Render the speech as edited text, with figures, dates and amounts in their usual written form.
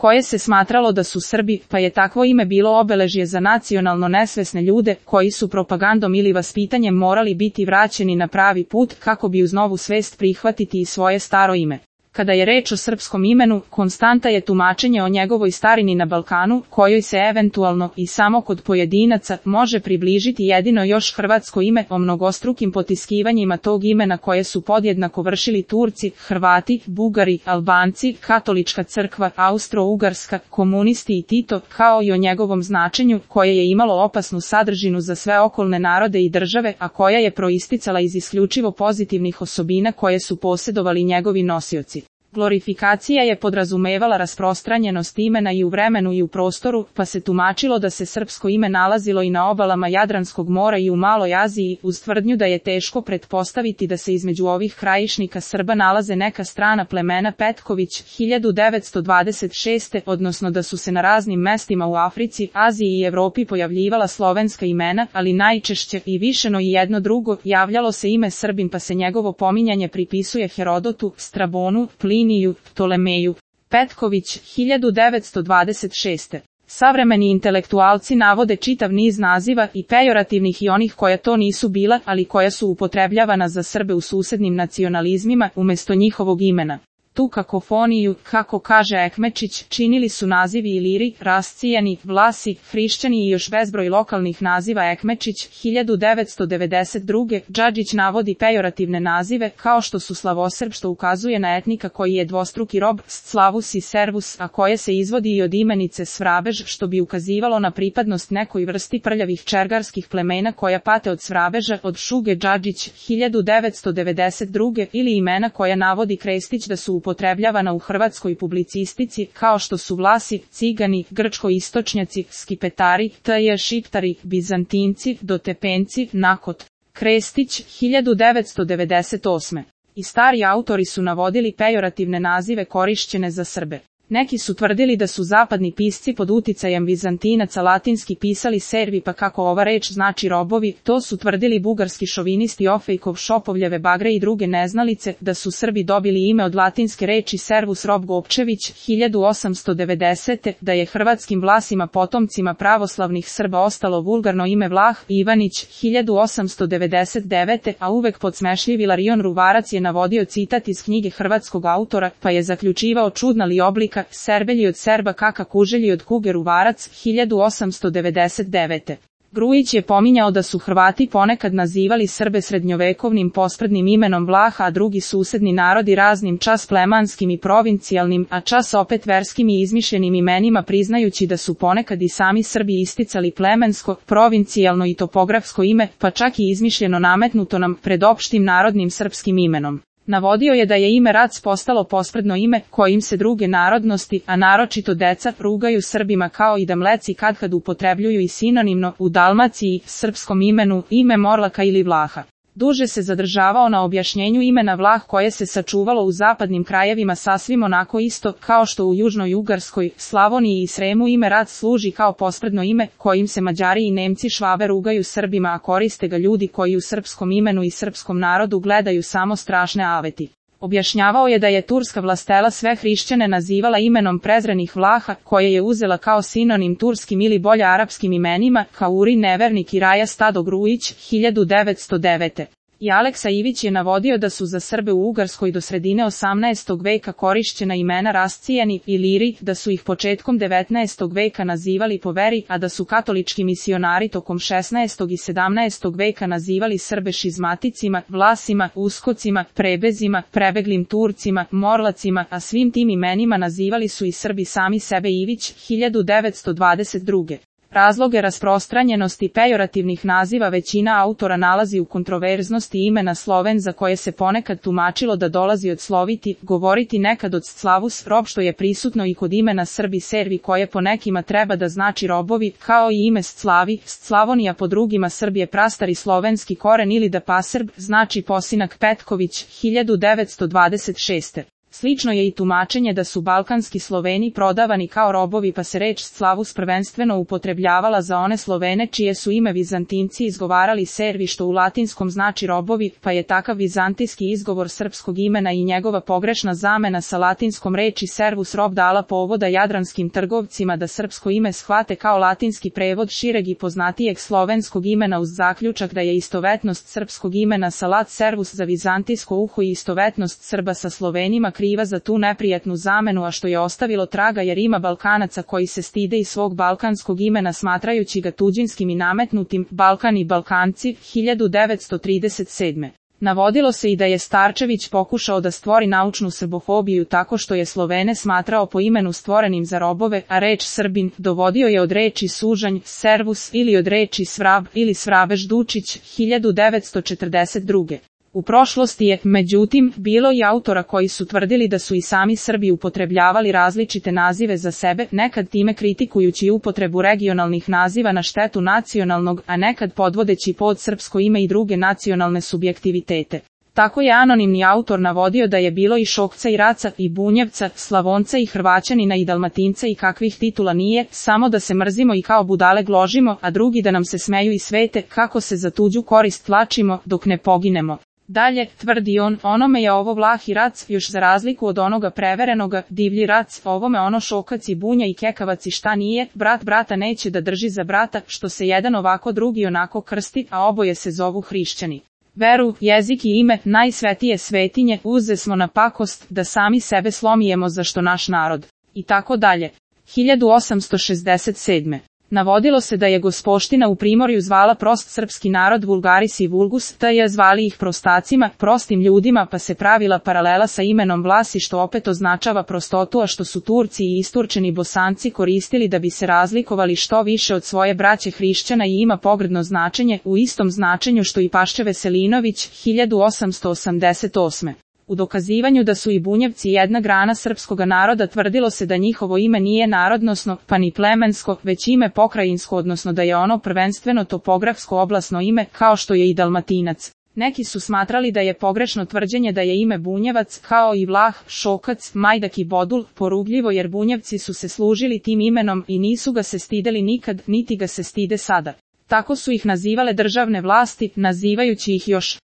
koje se smatralo da su Srbi, pa je takvo ime bilo obeležje za nacionalno nesvesne ljude, koji su propagandom ili vaspitanjem morali biti vraćeni na pravi put, kako bi uz novu svest prihvatiti i svoje staro ime. Kada je reč o srpskom imenu, konstanta je tumačenje o njegovoj starini na Balkanu, kojoj se eventualno i samo kod pojedinaca može približiti jedino još hrvatsko ime, o mnogostrukim potiskivanjima tog imena koje su podjednako vršili Turci, Hrvati, Bugari, Albanci, Katolička crkva, Austro-Ugarska, komunisti i Tito, kao i o njegovom značenju, koje je imalo opasnu sadržinu za sve okolne narode i države, a koja je proisticala iz isključivo pozitivnih osobina koje su posjedovali njegovi nosioci. Glorifikacija je podrazumevala rasprostranjenost imena i u vremenu i u prostoru, pa se tumačilo da se srpsko ime nalazilo i na obalama Jadranskog mora i u Maloj Aziji, uz tvrdnju da je teško pretpostaviti da se između ovih krajišnika Srba nalaze neka strana plemena. Petković, 1926. odnosno da su se na raznim mestima u Africi, Aziji i Evropi pojavljivala slovenska imena, ali najčešće i višeno i jedno drugo, javljalo se ime Srbin, pa se njegovo pominjanje pripisuje Herodotu, Strabonu, Pliniju, Ptolemeju. Petković, 1926. Savremeni intelektualci navode čitav niz naziva, i pejorativnih i onih koja to nisu bila, ali koja su upotrebljavana za Srbe u susednim nacionalizmima, umjesto njihovog imena. Tu kakofoniju, kako kaže Ekmečić, činili su nazivi Iliri, Rascijani, Vlasi, Hrišćani i još bezbroj lokalnih naziva. Ekmečić, 1992. Džadžić navodi pejorativne nazive, kao što su slavosrb, što ukazuje na etnika koji je dvostruki rob, Slavus i Servus, a koje se izvodi i od imenice Svrabež, što bi ukazivalo na pripadnost nekoj vrsti prljavih čergarskih plemena koja pate od Svrabeža. Od Šuge Džadžić, 1992. ili imena koja navodi Krestić da su upotrebljavana u hrvatskoj publicistici, kao što su Vlasi, Cigani, Grčko-istočnjaci, Skipetari, Šiptari, Bizantinci, Dotepenci, Nakot. Krestić, 1998. I stari autori su navodili pejorativne nazive korišćene za Srbe. Neki su tvrdili da su zapadni pisci pod uticajem Vizantinaca latinski pisali servi, pa kako ova reč znači robovi, to su tvrdili bugarski šovinisti Ofejkov, Šopovljeve Bagre i druge neznalice, da su Srbi dobili ime od latinske reči servus rob. Gopčević, 1890. Da je hrvatskim Vlasima potomcima pravoslavnih Srba ostalo vulgarno ime Vlah. Ivanić, 1899. A uvek podsmešljivi Larion Ruvarac je navodio citat iz knjige hrvatskog autora, pa je zaključivao čudna li oblika, Serbelji od Serba kaka kuželji od kuge. Ruvarac, 1899. Grujić je pominjao da su Hrvati ponekad nazivali Srbe srednjovekovnim posprdnim imenom Vlaha, a drugi susedni narodi raznim čas plemanskim i provincijalnim, a čas opet verskim i izmišljenim imenima, priznajući da su ponekad i sami Srbi isticali plemensko, provincijalno i topografsko ime, pa čak i izmišljeno nametnuto nam pred opštim narodnim srpskim imenom. Navodio je da je ime Rac postalo posprdno ime, kojim se druge narodnosti, a naročito deca, rugaju Srbima, kao i da Mleci kadkad upotrebljuju i sinonimno, u Dalmaciji, srpskom imenu, ime Morlaka ili Vlaha. Duže se zadržavao na objašnjenju imena Vlah, koje se sačuvalo u zapadnim krajevima sasvim onako isto, kao što u Južnoj Ugarskoj, Slavoniji i Sremu ime Rac služi kao posprdno ime, kojim se Mađari i Nemci Švabe rugaju Srbima, a koriste ga ljudi koji u srpskom imenu i srpskom narodu gledaju samo strašne aveti. Objašnjavao je da je turska vlastela sve hrišćane nazivala imenom prezrenih Vlaha, koje je uzela kao sinonim turskim ili bolje arapskim imenima, Kauri, Nevernik i Raja Stado. Grujić, 1909. I Aleksa Ivić je navodio da su za Srbe u Ugarskoj do sredine 18. veka korišćena imena Rascijani i Liri, da su ih početkom 19. veka nazivali po veri, a da su katolički misionari tokom 16. i 17. veka nazivali Srbe šizmaticima, Vlasima, Uskocima, Prebezima, prebeglim Turcima, Morlacima, a svim tim imenima nazivali su i Srbi sami sebe. Ivić, 1922. Razloge rasprostranjenosti pejorativnih naziva većina autora nalazi u kontroverznosti imena Sloven, za koje se ponekad tumačilo da dolazi od sloviti, govoriti nekad od Slavus, rob, što je prisutno i kod imena Srbi Servi, koje po nekima treba da znači robovi, kao i ime Sclavi, Slavonija po drugima Srbije prastari slovenski koren ili da Pasrb, znači posinak. Petković, 1926. Slično je i tumačenje da su balkanski Sloveni prodavani kao robovi pa se reč Slavus prvenstveno upotrebljavala za one Slovene čije su ime Vizantinci izgovarali servi što u latinskom znači robovi, pa je takav vizantijski izgovor srpskog imena i njegova pogrešna zamena sa latinskom reči servus rob dala povoda jadranskim trgovcima da srpsko ime shvate kao latinski prevod šireg i poznatijeg slovenskog imena uz zaključak da je istovetnost srpskog imena salat servus za vizantijsko uho i istovetnost Srba sa Slovenima kriva za tu neprijatnu zamenu, a što je ostavilo traga jer ima Balkanaca koji se stide i svog balkanskog imena smatrajući ga tuđinskim i nametnutim. Balkan i Balkanci, 1937. Navodilo se i da je Starčević pokušao da stvori naučnu srbofobiju tako što je Slovene smatrao po imenu stvorenim za robove, a reč Srbin dovodio je od reči sužanj, servus ili od reči svrab ili svrabež Dučić, 1942. U prošlosti je, međutim, bilo i autora koji su tvrdili da su i sami Srbi upotrebljavali različite nazive za sebe, nekad time kritikujući upotrebu regionalnih naziva na štetu nacionalnog, a nekad podvodeći pod srpsko ime i druge nacionalne subjektivitete. Tako je anonimni autor navodio da je bilo i Šokca i Raca i Bunjevca, Slavonca i Hrvaćanina i Dalmatinca i kakvih titula nije, samo da se mrzimo i kao budale gložimo, a drugi da nam se smeju i svete, kako se za tuđu korist tlačimo, dok ne poginemo. Dalje, tvrdi on, onome je ovo Vlah i Rac, još za razliku od onoga preverenoga, divlji Rac, ovome ono Šokac i Bunja i Kekavac i šta nije, brat brata neće da drži za brata, što se jedan ovako drugi onako krsti, a oboje se zovu hrišćani. Veru, jezik i ime, najsvetije svetinje, uze smo na pakost, da sami sebe slomijemo za što naš narod. I tako dalje. 1867. Navodilo se da je Gospoština u Primorju zvala prost srpski narod vulgaris i vulgus, te je zvali ih prostacima, prostim ljudima, pa se pravila paralela sa imenom Vlasi što opet označava prostotu, a što su Turci i isturčeni Bosanci koristili da bi se razlikovali što više od svoje braće hrišćana i ima pogrdno značenje, u istom značenju što i Pašče Veselinović, 1888. U dokazivanju da su i Bunjevci jedna grana srpskoga naroda tvrdilo se da njihovo ime nije narodnosno, pa ni plemensko, već ime pokrajinsko, odnosno da je ono prvenstveno topografsko oblasno ime, kao što je i Dalmatinac. Neki su smatrali da je pogrešno tvrđenje da je ime Bunjevac, kao i Vlah, Šokac, Majdak i Bodul, porugljivo jer Bunjevci su se služili tim imenom i nisu ga se stideli nikad, niti ga se stide sada. Tako su ih nazivale državne vlasti, nazivajući ih još